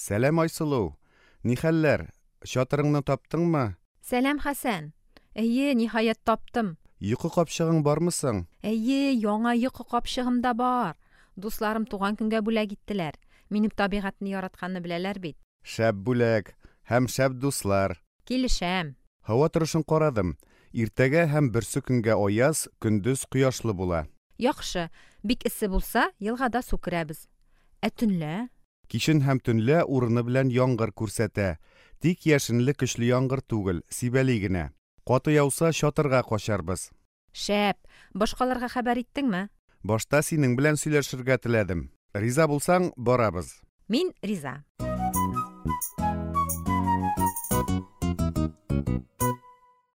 Сәлам, Айсылу! Ни хәлләр? Чатырыңны таптыңмы? Сәлам, Хәсән! Әйе, ниһаять таптым. Йокы капчыгың бармы соң? Әйе, яңа йокы капчыгым да бар. Дусларым туган көнгә бүләк иттеләр. Минем табигатьне яратканны беләләр бит. Шәп бүләк һәм шәп дуслар. Килешәм. Һава торышын карадым. Иртәгә һәм берсекөнгә аяз, көндез кояшлы була. Яхшы. Бик эссе булса, елгада су керәбез. Ә төнлә? Кичен һәм төнлә урыны белән яңгыр күрсәтә. Тик яшенле көчле яңгыр түгел, сибәли генә. Каты яуса, чатырга качарбыз. Шәп! Башкаларга хәбәр иттеңме? Башта синең белән сөйләшергә теләдем. Риза булсаң, барабыз. Мин риза.